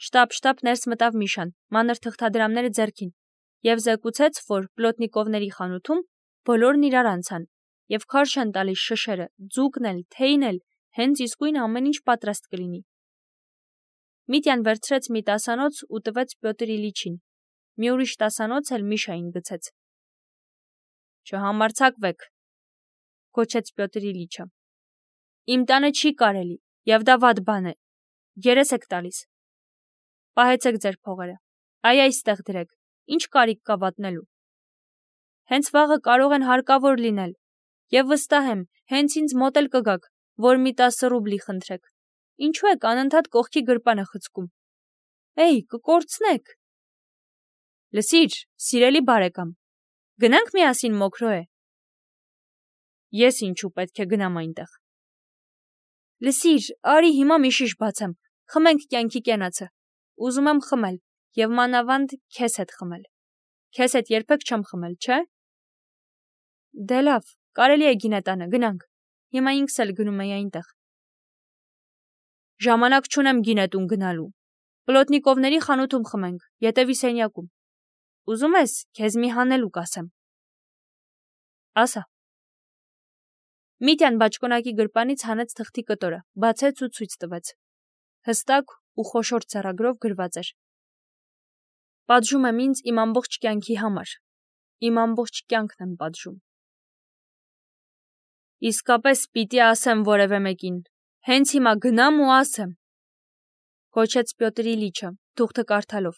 Շտապ ներս մտավ Միշան, մանր թղթադրամները ձեռքին, եւ զեկուցեց, որ Պլոտնիկովների խանութում բոլորն իրար անցան, եւ քարշ են տալիս շշերը, ձուկն էլ, թեյն էլ, հենց իսկույն ամեն ինչ պատրաստ կլինի։ Միտյան վերցրեց մի տասանոց ու տվեց Պյոտր Իլիչին, մի ուրիշ տասանոց էլ Միշային գցեց։ Չհամարձակվեք, գոչեց Պյոտր Իլիչը։ Իմ տանը չի կարելի, եւ դա վատ բան է։ Երես եք տալիս։ Պահեցեք ձեր փողերը։ Այ այստեղ դրեք, ինչ կարիք կա վատնելու։ Հենց վաղը կարող են հարկավոր լինել, եւ վստահ եմ, հենց ինձ մոտ էլ կգաք, որ մի 10 ռուբլի խնդրեք։ Ինչու եք անընդհատ կողքի գրպանը խցկում։ Էй, կկորցնեք։ Լսիր, սիրելի բարեկամ, գնանք միասին Մոքրոե։ Ես ինչու պետք է գնամ այնտեղ։ Լսիր, արի հիմա մի շիշ բացեմ, խմենք կյանքի կենացը։ Ուզում եմ խմել, եւ մանավանդ քեզ հետ խմել։ Քեզ հետ երբեք չեմ խմել, չէ՞։ Դե լավ, կարելի է գինետանը, գնանք։ Հիմա ինքս էլ գնում եի այնտեղ։ Ժամանակ չունեմ գինետուն գնալու։ Պլոտնիկովների խանութում խմենք, ետևի սենյակում։ Ուզում ես, քեզ մի հանելուկ ասեմ։ Ասա։ Միտյան բաճկոնակի գրպանից հանեց թղթի կտորը, բացեց ու ցույց տվեց։ Հստակ ու խոշոր ձեռագրով գրված էր. Պատժում եմ ինձ իմ ամբողջ կյանքի համար։ Իմ ամբողջ կյանքն եմ պատժում։ Իսկապես պիտի ասեմ որևէ մեկին։ Հենց հիմա գնամ ու ասեմ, գոչեց Պյոտր Իլիչը, թուղթը կարդալով։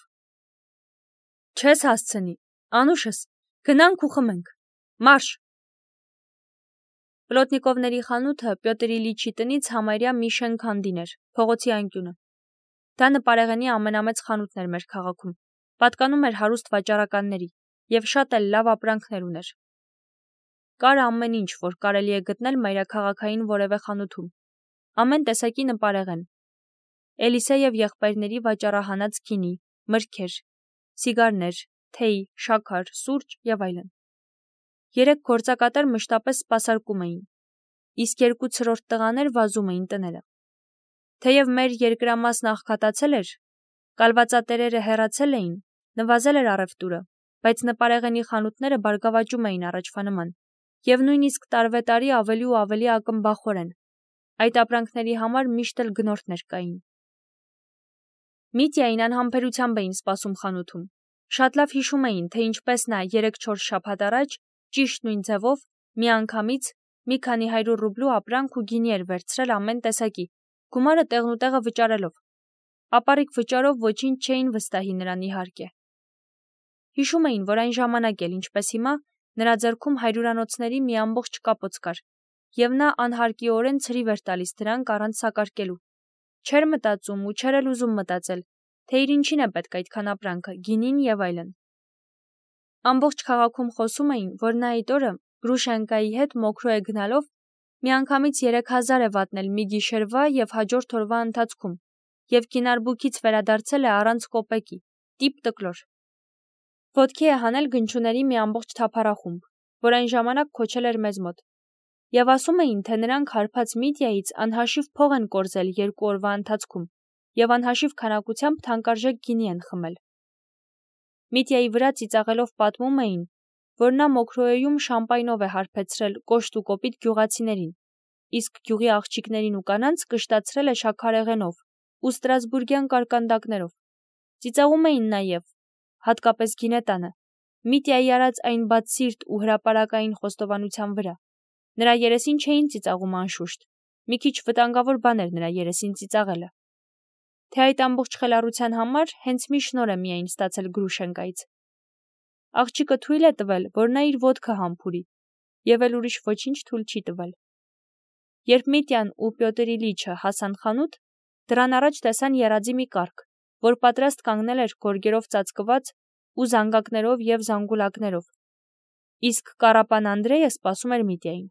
Չես հասցնի, անուշս, գնանք ու խմենք։ Մարշ։ Պլոտնիկովների խանութը Պյոտր Իլիչի տնից համարյա մի շենքանդին էր, փողոցի անկյունը։ Դա նպարեղենի ամենամեծ խանութն էր մեր քաղաքում, պատկանում էր հարուստ վաճառականների եւ շատ էլ լավ ապրանքներ ուներ։ Կար ամեն ինչ, որ կարելի է գտնել մայրաքաղաքային որևէ խանութում։ Ամեն տեսակի նպարեղեն։ Էլիսե եւ եղբայրների վաճառահանած գինի, մրգեր, սիգարներ, թեյ, շաքար, սուրճ եւ այլն։ 3 գործակատար մշտապես սպասարկում էին, իսկ 2 ցրորդ տղաներ վազում էին տները։ Թեև մեր երկրամասն աղքատացել էր, կալվածատերերը հեռացել էին, նվազել էր առևտուրը, բայց նպարեղենի խանութները բարգավաճում էին առաջվա նման, եւ նույնիսկ տարվետարի ավելի ու ավելի ակնբախորեն։ Այդ ապրանքների համար միշտ էլ գնորդներ կային։ Միտյային անհամբերությամբ էին սպասում խանութում։ Շատ լավ հիշում էին, թե ինչպես նա 3-4 շաբաթ առաջ ճիշտ նույն ձևով միանգամից մի քանի 100 ռուբլու ապրանք ու գինի էր վերցրել ամեն տեսակի, գումարը տեղնուտեղը վճարելով։ Ապառիկ վճարով ոչինչ չէին վստահի նրան իհարկե։ Հիշում էին, որ այն ժամանակ էլ ինչպես հիմա նրա ձեռքում հայրուրանոցների մի ամբողջ կապոց կար, եւ նա անհարկիորեն ցրիվ էր տալիս դրանք առանց սակարկելու։ Չէր մտածում ու չէր էլ ուզում մտածել, թե իր ինչին է պետք այդքան ապրանքը, գինին եւ այլն։ Ամբողջ քաղաքում խոսում էին, որ նա այդ օրը Գրուշենկայի հետ Մոքրոե գնալով միանգամից 3000 է վատնել մի գիշերվա եւ հաջորդ օրվա ընթացքում, եւ կինարբուքից վերադարձել է առանց կոպեկի, տիպ տկլոր։ Ոտքի է հանել գնչուների մի ամբողջ թափառախումբ, որ այն ժամանակ քոչել էր մեզ մոտ, եւ ասում էին, թե նրանք հարբած Միտյայից անհաշիվ փող են կորզել 2 օրվա ընթացքում եւ անհաշիվ քանակությամբ թանկարժեք գինի են խմել։ Միտյայի վրա ծիծաղելով պատմում էին, որ նա Մոքրոեում շամպայնով է հարբեցրել կոշտ ու կոպիտ գյուղացիներին, իսկ գյուղի աղջիկներին ու կանանց կշտացրել է շաքարեղենով ու ստրասբուրգյան կարկանդակներով։ Ծիծաղում էին նաեւ, հատկապես գինետանը, Միտյայի արած այն բացսիրտ ու հրապարակային խոստովանության վրա։ Նրա երեսին չէին ծիծաղում անշուշտ, մի քիչ վտանգավոր բան էր նրա երեսին ծիծաղելը։ Թե այդ ամբողջ խելառության համար հենց մի շնոր է միայն ստացել Գրուշենկայից։ Աղջիկը թույլ է տվել, որ նա իր ոտքը համբուրի, եւ էլ ուրիշ ոչինչ թույլ չի տվել։ Երբ Միտյան ու Պյոտր Իլիչը հասան խանութ, դրան առաջ տեսան եռաձի մի կառք, որ պատրաստ կանգնել էր գորգերով ծածկված ու զանգակներով եւ զանգուլակներով, իսկ Կարապան Անդրեյը սպասում էր Միտյային։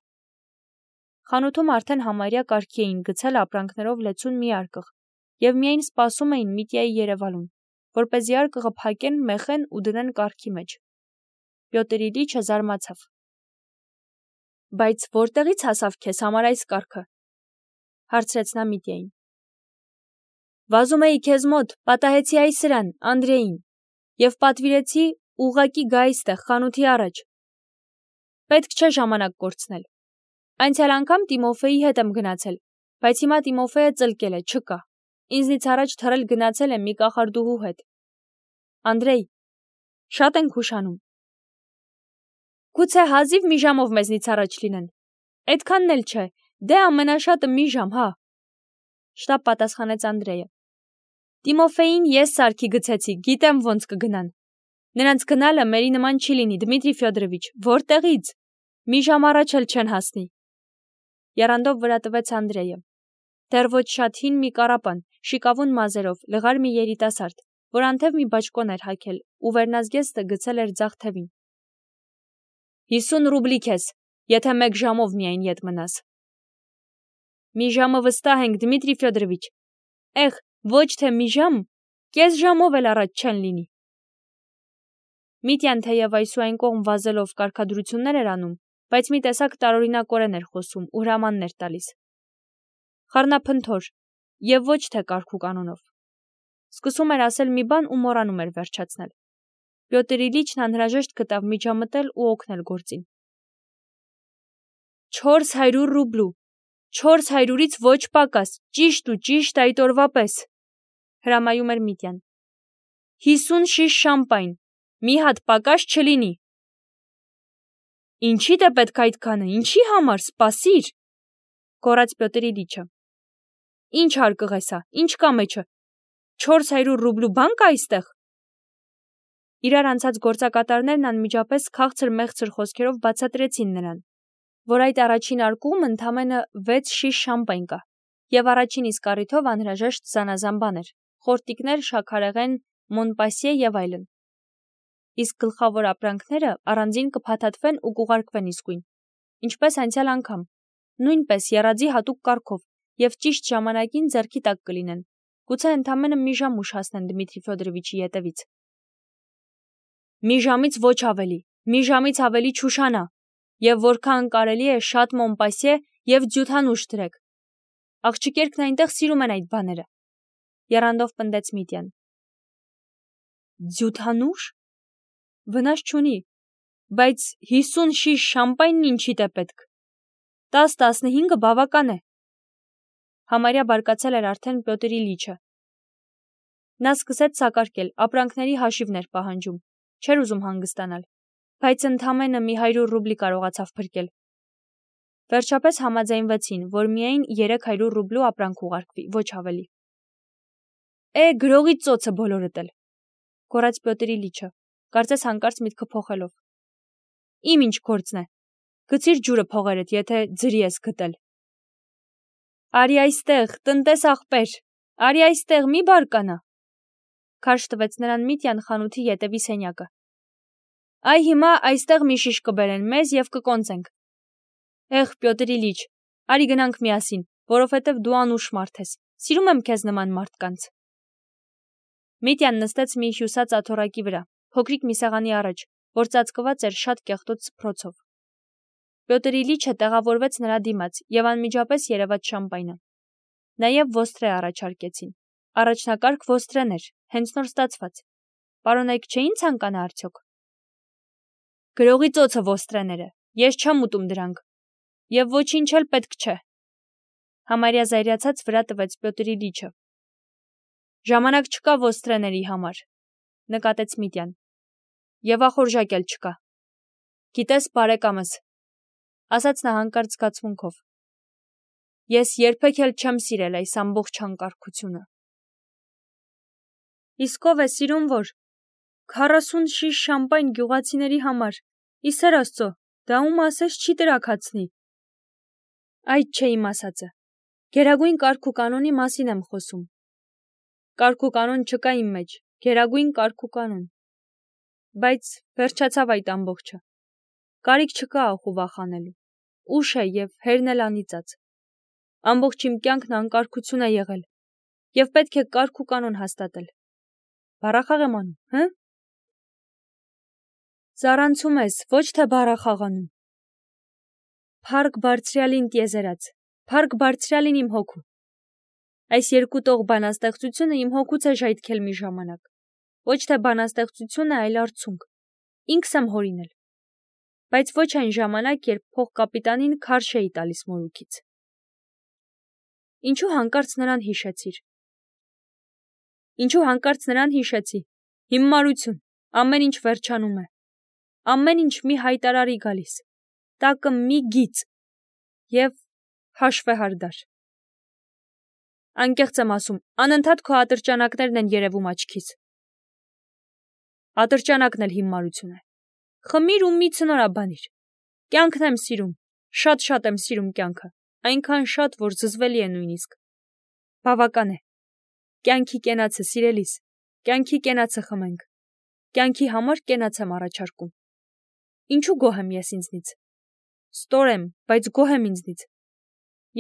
Խանութում արդեն համարյա կարգի էին գցել ապրանքներով լեցուն մի արկղ եւ միայն սպասում էին Միտյայի երևալուն, որպեսզի արկղը փակեն, մեխեն ու դնեն կառքի մեջ։ Պյոտր Իլիչը զարմացավ։ Բայց որտեղից հասավ քեզ համար այս կառքը, հարցրեց նա Միտյային։ Վազում էի քեզ մոտ, պատահեցի այ սրան, Անդրեին, և պատվիրեցի ուղղակի գա այստեղ խանութի առաջ։ Պետք չէ ժամանակ կորցնել։ Անցյալ անգամ Տիմոֆեի հետ եմ գնացել, բայց հիմա Տիմոֆեը ծլկել է, չկա։ Ինձնից առաջ թռել գնացել է մի կախարդուհու հետ։ Անդրեյ, շատ ենք ուշանում։ Գուցե հազիվ մի ժամով մեզնից առաջ լինեն։ Այդքանն էլ չէ, դե ամենաշատը մի ժամ, հա։ Շտապ պատասխանեց Անդրեյը։ Տիմոֆեին ես սարքի գցեցի, գիտեմ ոնց կգնան։ Նրանց գնալը մերի նման չի լինի, Դմիտրի Ֆյոդորովիչ, որտեղից։ Մի ժամ առաջ էլ չեն հասնի։ Եռանդով վրա տվեց Անդրեյը։ Դեռ ոչ շատ հին մի կառապան, շիկավուն մազերով, լղար մի երիտասարդ, որ անթև մի բաճկոն էր հագել ու վերնազգեստը գցել էր ձախ թևին։ 50 ռուբլի քեզ, եթե մեկ ժամով միայն ետ մնաս։ Մի ժամը վստահ ենք, Դմիտրի Ֆյոդորովիչ։ Էղ, ոչ թե մի ժամ, կես ժամով էլ առաջ չեն լինի։ Միտյան թեև այսուայն կողմ վազելով կարգադրություններ էր անում, բայց մի տեսակ տարօրինակորեն էր խոսում ու հրամաններ տալիս։ Խառնափնթոր, և ոչ թե կարգ ու կանոնով։ Սկսում էր ասել մի բան ու մոռանում էր վերջացնել։ Պյոտր Իլիչն անհրաժեշտ գտավ միջամտել ու օգնել գործին։ 400 ռուբլու, 400-ից ոչ պակաս, ճիշտ ու ճիշտ այդ օրվա պես, հրամայում էր Միտյան։ 50 շիշ շամպայն, մի հատ պակաս չլինի։ Ինչի՞դ է պետք այդքանը, ինչի համար, սպասիր, գոռաց Պյոտր Իլիչը։ Ինչ հարկղ է սա, ինչ կա մեջը, 400 ռուբլու բան կա այստեղ։ Իրար անցած գործակատարներն անմիջապես քաղցր-մեղցր խոսքերով բացատրեցին նրան, որ այդ առաջին արկուղում ընդամենը 6 շիշ շամպայն կա, և առաջին իսկ առիթով անհրաժեշտ զանազան բաներ, խորտիկներ, շաքարեղեն, Մոնպասիե և այլն։ Իսկ գլխավոր ապրանքները առանձին կփաթաթվեն ու կուղարկվեն իսկույն, ինչպես անցյալ անգամ, նույնպես եռաձի հատուկ կարգով և ճիշտ ժամանակին ձեռքի տակ կլինեն, գուցե ընդամենը մի ժամ ուշ հասնեն Դմիտրի Ֆյոդորովիչի ետևից։ Մի ժամից ոչ ավելի, մի ժամից ավելի չուշանա, և որքան կարելի է շատ Մոնպասիե և ձյութանուշ դրեք։ Աղջիկերքն այնտեղ սիրում են այդ բաները, եռանդով պնդեց Միտյան։ Ձյութանուշ։ Վնաս չունի, բայց 50 շիշ շամպայնն ինչիդ է պետք։ 10-15-ը բավական է։ Համարյա բարկացել էր արդեն Պյոտր Իլիչը։ Նա սկսեց սակարկել, ապրանքների հաշիվներ պահանջում, չէր ուզում հանգստանալ, բայց ընդամենը մի 100 ռուբլի կարողացավ փրկել։ Վերջապես համաձայնվեցին, որ միայն 300 ռուբլու ապրանք ուղարկվի, ոչ ավելի։ Գրողի ծոցը բոլորդ էլ, գոռաց Պյոտր Իլիչը, կարծես հանկարծ միտքը փոխելով։ Իմ ինչ գործն է։ Գցիր ջուրը փողերդ, եթե ձրի ես գտել։ Արի այստեղ, տնտես ախպեր, արի այստեղ, մի բարկանա։ Քարշ տվեց նրան Միտյան խանութի ետևի սենյակը։ Այ հիմա այստեղ մի շիշ կբերեն մեզ և կկոնծենք։ Պյոտր Իլիչ, արի գնանք միասին, որովհետև դու անուշ մարդ ես, սիրում եմ քեզ նման մարդկանց։ Միտյան նստեց մի հյուսած աթոռակի վրա, փոքրիկ մի սեղանի առաջ, որ ծածկված էր շատ կեղտոտ սփռոցով։ Պյոտր Իլիչը տեղավորվեց նրա դիմաց և անմիջապես երևաց շամպայնը։ Նաև ոստրե առաջարկեցին։ Առաջնակարգ ոստրեներ, հենց նոր ստացված։ Պարոնայք չէին ցանկանա արդյոք։ Գրողի ծոցը ոստրեները, ես չեմ ուտում դրանք։ Եվ ոչինչ էլ պետք չէ։ Համարյա զայրացած վրա տվեց Պյոտր Իլիչը։ Ժամանակ չկա ոստրեների համար, նկատեց Միտյան։ Եվ ախորժակ էլ չկա։ Գիտես, բարեկամս, ասաց նա հանկարծ զգացմունքով։ Ես երբեք էլ չեմ սիրել այս ամբողջ հանկարծությունը։ Իսկ ով է սիրում որ 40 շիշ շամպայն գյուղացիների համար, ի սեր Աստծո, դա ում ասես չի տրաքացնի։ Այդ չէ իմ ասածը։ Գերագույն կարգ ու կանոնի մասին եմ խոսում։ Կարգ ու կանոն չկա իմ մեջ, գերագույն կարգ ու կանոն։ Բայց վերջացավ այդ ամբողջը։ Կարիք չկա ախու վախանելու։ Ուշ է և հերն էլ անիծած։ Ամբողջ իմ կյանքն անկարգություն է եղել, և պետք է կարգ ու կանոն հաստատել։ Բառախաղ եմ անում, հը՞։ Զառանցում ես, ոչ թե բառախաղանում։ Փառք բարձրյալին տիեզերած, փառք բարձրյալին իմ հոգու։ Այս երկու տող բանաստեղծությունը իմ հոգուց է ժայթքել մի ժամանակ։ Ոչ թե բանաստեղծությունը, այլ արցունք։ Ինքս եմ հորինել։ Բայց ոչ այն ժամանակ, երբ փողկապիտանին քարշ էի տալիս մորուքից։ Ինչու հանկարծ նրան հիշեցիր։ Ինչու հանկարծ նրան հիշեցի։ Հիմարություն, ամեն ինչ վերջանում է։ Ամեն ինչ մի հայտարարի գալիս։ Տակը մի գիծ և հաշվեհարդար։ Անկեղծ եմ ասում, անընդհատ քո ատրճանակներն են երևում աչքիս։ Ատրճանակն էլ հիմարություն է։ Խմիր ու մի ցնորաբանիր։ Կյանքն եմ սիրում, շատ եմ սիրում կյանքը, այնքան շատ, որ զզվելի է նույնիսկ։ Բավական է։ Կյանքի կենացը, սիրելիս, կյանքի կենացը խմենք։ Կյանքի համար կենաց եմ առաջարկում։ Ինչու գոհ եմ ես ինձնից։ Ստոր եմ, բայց գոհ եմ ինձնից։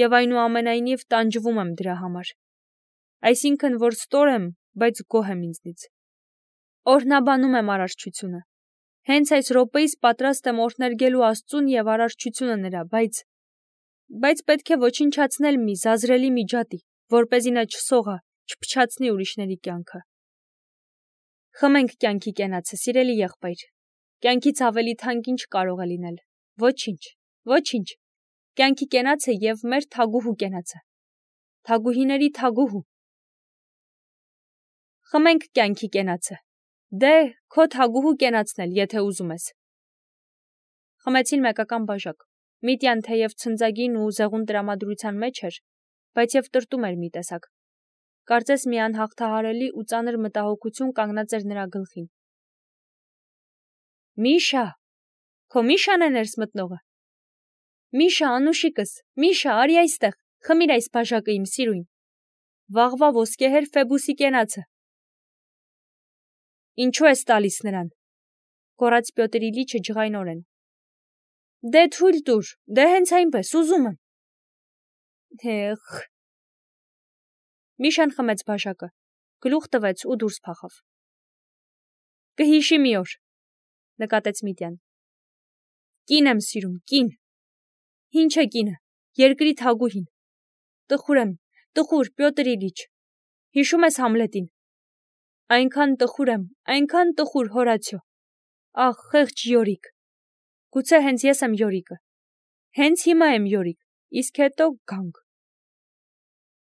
Եվ այնուամենայնիվ տանջվում եմ դրա համար։ Այսինքն, որ ստոր եմ, բայց գոհ եմ ինձնից։ Օրհնաբանում եմ արարչությունը։ Հենց այս րոպեիս պատրաստ եմ օրհներգելու Աստծուն և արարչությունը նրա, բայց պետք է ոչնչացնել մի զազրելի միջատի, որպեսզի նա չսողա, չփչացնի ուրիշների կյանքը։ Խմենք կյանքի կենացը, սիրելի եղբայր։ Կյանքից ավելի թանկ ինչ կարող է լինել։ Ոչինչ։ Կյանքի կենացը և մեր թագուհու կենացը։ Թագուհիների թագուհու։ Խմենք կյանքի կենացը։ Դե, քո թագուհու կենացն էլ, եթե ուզում ես։ Խմեցին մեկական բաժակ։ Միտյան թեև ցնծագին ու զեղուն տրամադրության մեջ էր, բայց և տրտում էր մի տեսակ։ Կարծես մի անհաղթահարելի ու ծանր մտահոգություն կանգնած էր նրա գլխին։ Միշա, քո Միշան է ներս մտնողը։ Միշա, անուշիկս, Միշա, արի այստեղ, խմիր այս բաժակը իմ սիրուն։ Վաղվա ոսկեհեր Ֆեբուսի կենացը։ Ինչու ես տալիս նրան։ Գոռաց Պյոտր Իլիչը ջղայնորեն։ Դե թույլ տուր, դե հենց այնպես, ուզում եմ։ Հեխ։ Միշան խմեց բաժակը, գլուխ տվեց ու դուրս փախավ։ Կհիշի մի օր, նկատեց Միտյան։ Կին եմ սիրում, կին։ Ինչ է կինը, երկրի թագուհին։ Տխուր եմ, տխուր, Պյոտր Իլիչ։ Հիշում ես Համլետին։ Այնքան տխուր, Հորացիո։ Ախ, խեղճ Յորիկ։ Գուցե հենց ես եմ Յորիկը։ Հենց հիմա եմ Յորիկ, իսկ հետո գանք։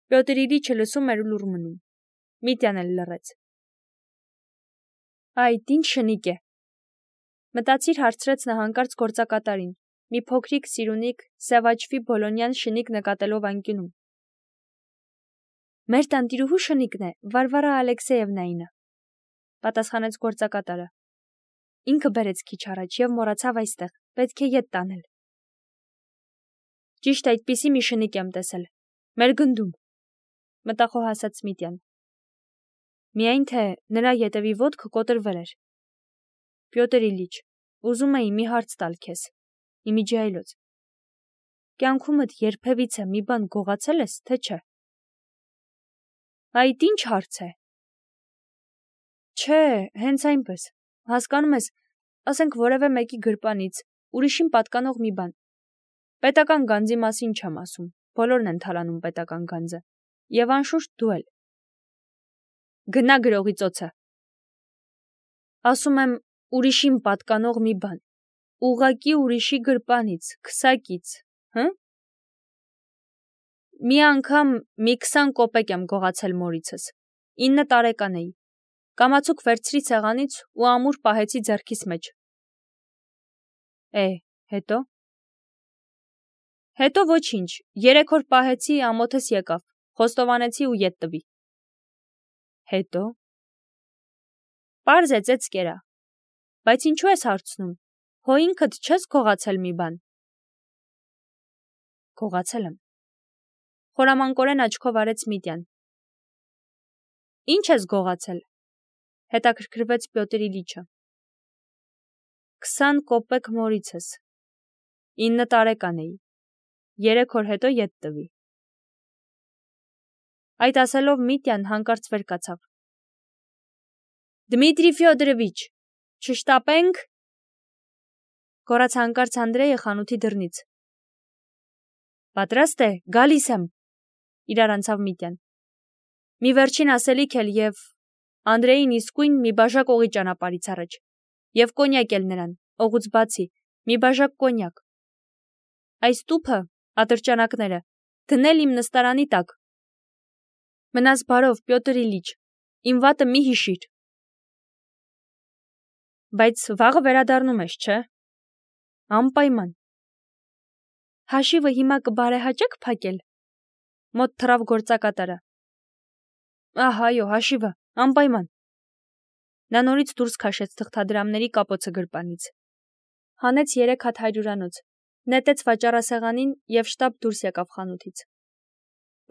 Պյոտր Իլիչը լսում էր ու լուռ մնում։ Միտյան էլ լռեց։ Այդ ինչ շնիկ է։ Մտածիր հարցրեց նա հանկարծ գործակատարին, մի փոքրիկ սիրունիկ, սևաչվի բոլոնյան շնիկ նկատելով անկյունում։ Մեր տանտիրուհու շնիկն է, Վարվարա Ալեքսեևնայինը, պատասխանեց գործակատարը։ Ինքը բերեց քիչ առաջ և մոռացավ այստեղ, պետք է ետ տանել։ Ճիշտ այդպիսի մի շնիկ եմ տեսել։ Մեր գնդում, մտախոհ ասաց Միտյան։ Միայն թե նրա ետևի ոտքը կոտրվել էր։ Պյոտր Իլիչ, ուզում էի մի հարց տալ քեզ, իմիջիայլոց։ Կյանքումդ երբևիցե մի բան գողացել ես, թե չէ։ Այդ ինչ հարց է։ Չէ, հենց այնպես, հասկանում ես, ասենք որևէ մեկի գրպանից, ուրիշին պատկանող մի բան։ Պետական գանձի մասին չեմ ասում, բոլորն են թալանում պետական գանձը, և անշուշտ դու էլ։ Գնա գրողի ծոցը։ Ասում եմ, ուրիշին պատկանող մի բան, ուղղակի ուրիշի գրպանից, քսակից, հը՞։ Մի անգամ մի 20 կոպեկ եմ գողացել մորիցս, 9 տարեկան էի, կամացուկ վերցրի սեղանից ու ամուր պահեցի ձեռքիս մեջ։ Հետո։ Հետո ոչինչ, 3 օր պահեցի, ամոթս եկավ, խոստովանեցի ու ետ տվի։ Հետո։ Պարզ է ծեծ կերա։ Բայց ինչու ես հարցնում, հո ինքդ չես գողացել մի բան։ Գողացել եմ։ Խորամանկորեն աչքով արեց Միտյան։ Ինչ ես գողացել։ Հետաքրքրվեց Պյոտր Իլիչը։ 20 կոպեկ մորիցս։ 9 տարեկան էի։ 3 օր հետո ետ տվի։ Այդ ասելով Միտյան հանկարծ վեր կացավ։ Դմիտրի Ֆյոդորովիչ, չշտապենք։ Գոռաց հանկարծ Անդրեյը խանութի դռնից։ Պատրաստ է, գալիս եմ։ Իրար անցավ Միտյան։ Մի վերջին ասելիք էլ և Անդրեին իսկույն մի բաժակ օղի ճանապարհից առաջ, և կոնյակ էլ նրան, օղուց բացի, մի բաժակ կոնյակ։ Այս տուփը, ատրճանակները, դնել իմ նստարանի տակ։ Մնաս բարով, Պյոտր Իլիչ, իմ վատը մի հիշիր։ Բայց վաղը վերադառնում ես, չէ՞։ Անպայման։ Հաշիվը հիմա կբարեհաճեք փակել։ Մոտ թռավ գործակատարը։ Ահա, այո, հաշիվը, անպայման։ Նա նորից դուրս քաշեց թղթադրամների կապոցը գրպանից։ Հանեց 3 հատ հայրուրանոց, նետեց վաճառասեղանին և շտապ դուրս եկավ խանութից։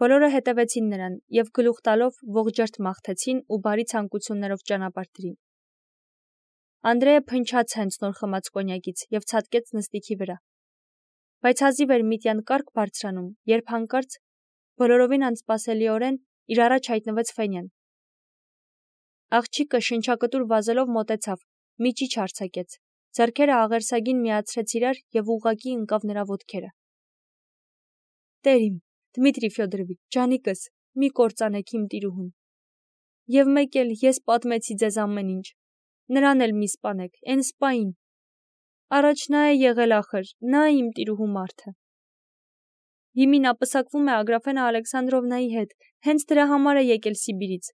Բոլորը հետևեցին նրան և գլուխ տալով ողջերթ մաղթեցին ու բարի ցանկություններով ճանապարհ դրին։ Անդրեը փնչաց հենց նոր խմած կոնյակից և ցատկեց նստիքի վրա։ Բայց հազիվ էր Միտյան կառք բարձրանում, երբ հանկարծ բոլորովին անսպասելիորեն իր առաջ հայտնվեց Ֆենյան։ Աղջիկը շնչակտուր վազելով մոտեցավ, մի ճիչ արձակեց, ձեռքերը աղերսագին միացրեց իրար և ուղղակի ընկավ նրա ոտքերը։ Տեր իմ, Դմիտրի Ֆյոդորովիչ, ջանիկս, մի կործանեք իմ տիրուհուն։ Եվ մեկ էլ ես պատմեցի ձեզ ամեն ինչ, նրան էլ մի սպանեք, էն սպային։ Առաջ նա է եղել ախր, նա է իմ տիրուհու մարդը։ Հիմի նա պսակվում է Ագրաֆենա Ալեքսանդրովնայի հետ, հենց դրա համար է եկել Սիբիրից։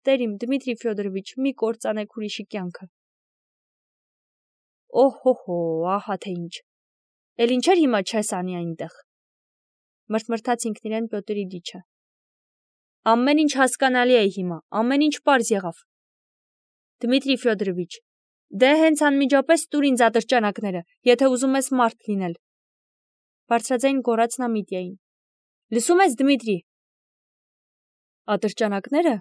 Տեր իմ, Դմիտրի Ֆյոդորովիչ, մի կործանեք ուրիշի կյանքը։ Օհո, ահա թե ինչ։ Էլ ինչեր հիմա չես անի այնտեղ։ Մրթմրթաց ինքն իրեն Պյոտր Իլիչը։ Ամեն ինչ հասկանալի է հիմա, ամեն ինչ պարզ եղավ։ Դմիտրի Ֆյոդորովիչ, դե հենց անմիջապես տուր ինձ ատրճանակները, եթե ուզում ես մարդ լինել։ Բարձրաձայն գոռաց նա Միտյային։ Լսում ես, Դմիտրի։ Ատրճանակները։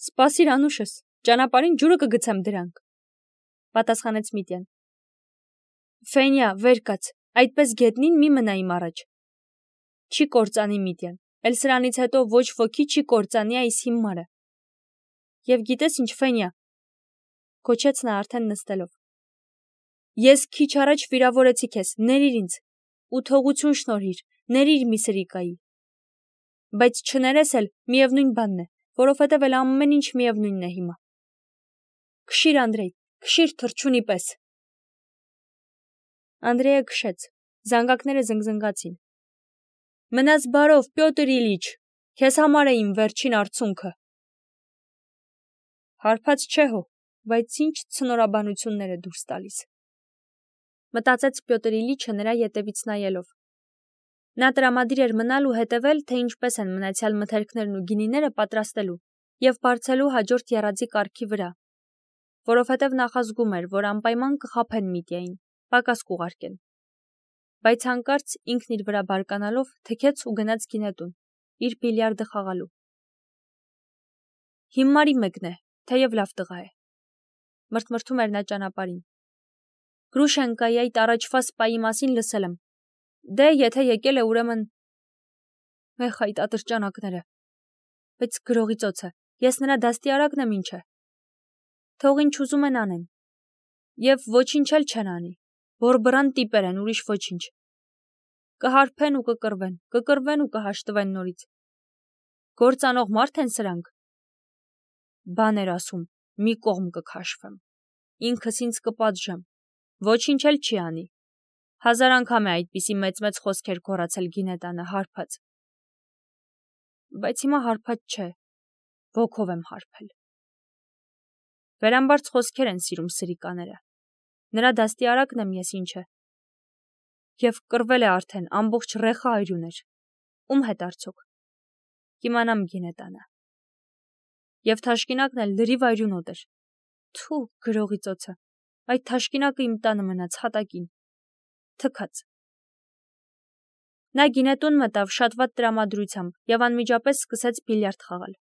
Սպասիր անուշս, ճանապարհին ջուրը կգցեմ դրանք, պատասխանեց Միտյան։ Ֆենյա, վեր կաց, այդպես գետնին մի մնա իմ առաջ։ Չի կործանի Միտյան, էլ սրանից հետո ոչ ոքի չի կործանի այս հիմարը։ Եվ գիտես ինչ, Ֆենյա, գոչեց նա արդեն նստելով։ Ես քիչ առաջ վիրավորեցի քեզ, ներիր ինձ, ու թողություն շնորհիր, ներիր մի սրիկայի։ Բայց չներես էլ միևնույն բանն է, որովհետև էլ ամեն ինչ միևնույնն է հիմա։ Քշիր, Անդրեյ, քշիր թռչունի պես։ Անդրեյը քշեց, զանգակները զնգզնգացին։ Մնաս բարով, Պյոտր Իլիչ, քեզ համար է իմ վերջին արցունքը։ Հարբած չէ հո, բայց ինչ ցնորաբանություններ է դուրս տալիս։ Մտածեց Պյոտր Իլիչը նրա ետևից նայելով։ Նա տրամադիր էր մնալ ու հետևել, թե ինչպես են մնացյալ մթերքներն ու գինիները պատրաստելու և բարձելու հաջորդ եռաձի կարգի վրա, որովհետև նախազգում էր, որ անպայման կխաբեն Միտյային, պակաս կուղարկեն։ Բայց հանկարծ ինքն իր վրա բարկանալով թքեց ու գնաց գինետուն, իր բիլիարդը խաղալու։ Հիմարի մեկն է, թեև լավ տղա է։ Մրթմրթում էր նա ճանապարհին։ Գրուշենկայի այդ առաջվա սպայի մասին լսել եմ։ Դե, եթե եկել է, ուրեմն… Էխ, այդ ատրճանակները։ Բայց գրողի ծոցը, ես նրա դաստիարակն եմ, ինչ է։ Թող ինչ ուզում են անեն։ Եվ ոչինչ էլ չեն անի։ Բորբռան տիպեր են, ուրիշ ոչինչ։ Կհարբեն ու կկռվեն ու կհաշտվեն նորից։ Գործանող մարդ են սրանք։ Բան էր ասում, մի կողմ կքաշվեմ։ Ինքս ինձ կպատժեմ։ Ոչինչ էլ չի անի։ 1000 անգամ է այդպիսի մեծ խոսքեր գոռացել գինետանը, հարբած։ Բայց հիմա հարբած չէ, ոգով եմ հարբել։ Վերամբարձ խոսքեր են սիրում սրիկաները։ Նրա դաստիարակն եմ ես, ինչ է։ Եվ կռվել է արդեն ամբողջ ռեխա այրուներ։ Ում հետ արդյոք։ Կիմանամ գինետանը։ Եվ թաշկինակն էլ լրիվ այրունոտ էր։ Թու, գրողի ծոցը, այդ թաշկինակը իմ տանը մնաց հատակին։ Թքած։ Նա գինետուն մտավ շատ վատ տրամադրությամբ և անմիջապես սկսեց բիլիարդ խաղալ։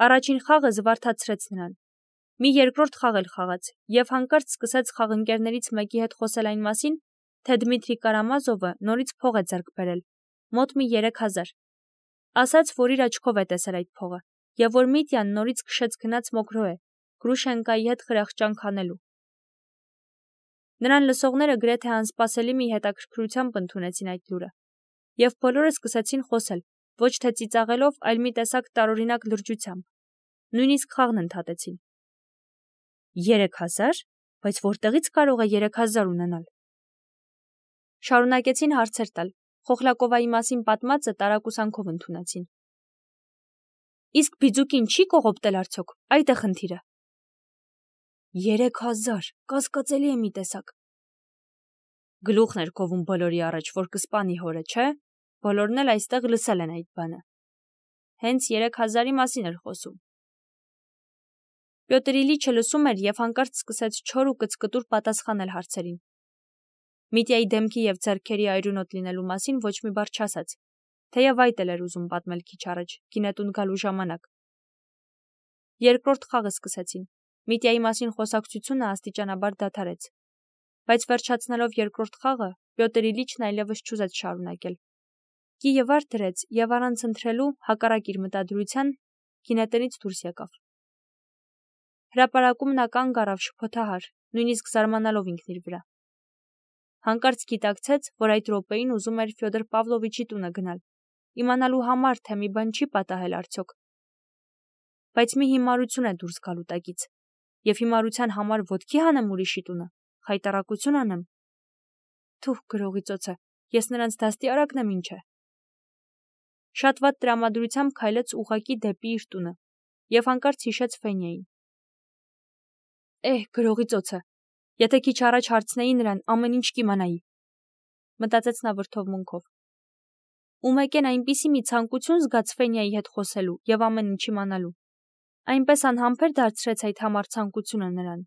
Առաջին խաղը զվարթացրեց նրան։ Մի երկրորդ խաղ էլ խաղաց և հանկարծ սկսեց խաղընկերներից մեկի հետ խոսել այն մասին, թե Դմիտրի Կարամազովը նորից փող է ձեռք բերել, մոտ մի 3000։ Ասաց, որ իր աչքով է տեսել այդ փողը և որ Միտյան նորից քշեց գնաց Մոկրոե, Գրուշենկայի հետ խրախճանք անելու։ Նրան լսողները գրեթե անսպասելի մի հետաքրքրությամբ ընդունեցին այդ լուրը, և բոլորը սկսեցին խոսել, ոչ թե ծիծաղելով, այլ մի տեսակ տարօրինակ լրջությամբ։ Նույնիսկ խաղն ընդհատեցին։ 3000, բայց որտեղից կարող է 3000 ունենալ։ Շարունակեցին հարցեր տալ, Խոխլակովայի մասին պատմածը տարակուսանքով ընդունեցին։ Իսկ Բիձուկին չի կողոպտել արդյոք, այդ է խնդիրը։ 3000, կասկածելի է մի տեսակ։ Գլուխն էր կովում բոլորի առաջ, որ կսպանի հորը, չէ՞։ Բոլորն էլ այստեղ լսել են այդ բանը։ Հենց 3000-ի մասին էր խոսում։ Պյոտր Իլիչը լսում էր և հանկարծ սկսեց չոր ու կծկտուր պատասխանել հարցերին։ Միտյայի դեմքի և ձեռքերի այրունոտ լինելու մասին ոչ մի բառ չասաց, թեև այդ էլ էր ուզում պատմել քիչ առաջ, գինետուն գալու ժամանակ։ Երկրորդ խաղը սկսեցին։ Միտյայի մասին խոսակցությունը աստիճանաբար դադարեց։ Բայց վերջացնելով երկրորդ խաղը, Պյոտր Իլիչն այլևս չուզեց շարունակել։ Կիը վար դրեց և առանց ընթրելու, հակառակ իր մտադրության, գինետնից դուրս եկավ։ Հրապարակում նա կանգ առավ շփոթահար, նույնիսկ զարմանալով ինքն իր վրա։ Հանկարծ գիտակցեց, որ այդ րոպեին ուզում էր Ֆյոդոր Պավլովիչի տունը գնալ, իմանալու համար, թե մի բան չի պատահել արդյոք։ Բայց մի հիմարություն է դուրս գալու տակից, և հիմարության համար ոտքի հանեմ ուրիշի տունը, խայտառակություն անեմ։ Թուh գրողի ծոցը, ես նրանց դաստիարակն եմ ինչ է։ Շատ վատ տրամադրությամբ քայլեց ուղղակի դեպի իր տունը, և հանկարծ հիշեց Ֆենյային։ Գրողի ծոցը, եթե քիչ առաջ հարցնեի նրան, ամեն ինչ կիմանայի, մտածեց նա վրդովմունքով։ Ու մեկ են այնպիսի մի ցանկություն զգաց Ֆենյայի հետ խոսելու և ամեն ինչ իմանալու։ Այնպես անհամբեր դարձրեց այդ համառ ցանկությունը նրան,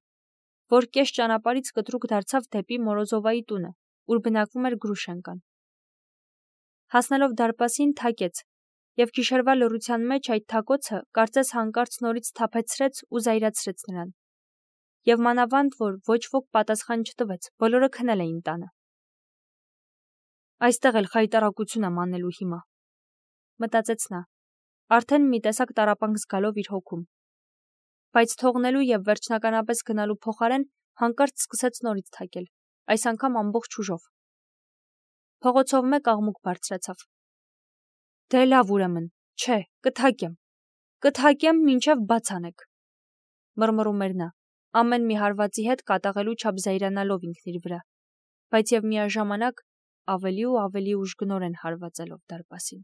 որ կես ճանապարհից կտրուկ դարձավ դեպի Մորոզովայի տունը, ուր բնակվում էր Գրուշենկան։ Հասնելով դարպասին, թակեց, և գիշերվա լռության մեջ այդ թակոցը կարծես հանկարծ նորից սթափեցրեց ու զայրացրեց նրան։ Եվ մանավանդ, որ ոչ ոք պատասխան չտվեց, բոլորը քնել էին տանը։ Այստեղ էլ խայտառակություն եմ անելու հիմա, մտածեց նա, արդեն մի տեսակ տառապանք զգալով իր հոգում։ Բայց թողնելու և վերջնականապես գնալու փոխարեն հանկարծ սկսեց նորից թակել, այս անգամ ամբողջ ուժով։ Փողոցով մեկ աղմուկ բարձրացավ։ Դե լավ ուրեմն, չէ, կթակեմ, մինչև բաց անեք, մռմռում էր նա, ամեն մի հարվածի հետ կատաղելու չափ զայրանալով ինքն իր վրա, բայց և միաժամանակ ավելի ու ավելի ուժգնորեն հարվածելով դարպասին։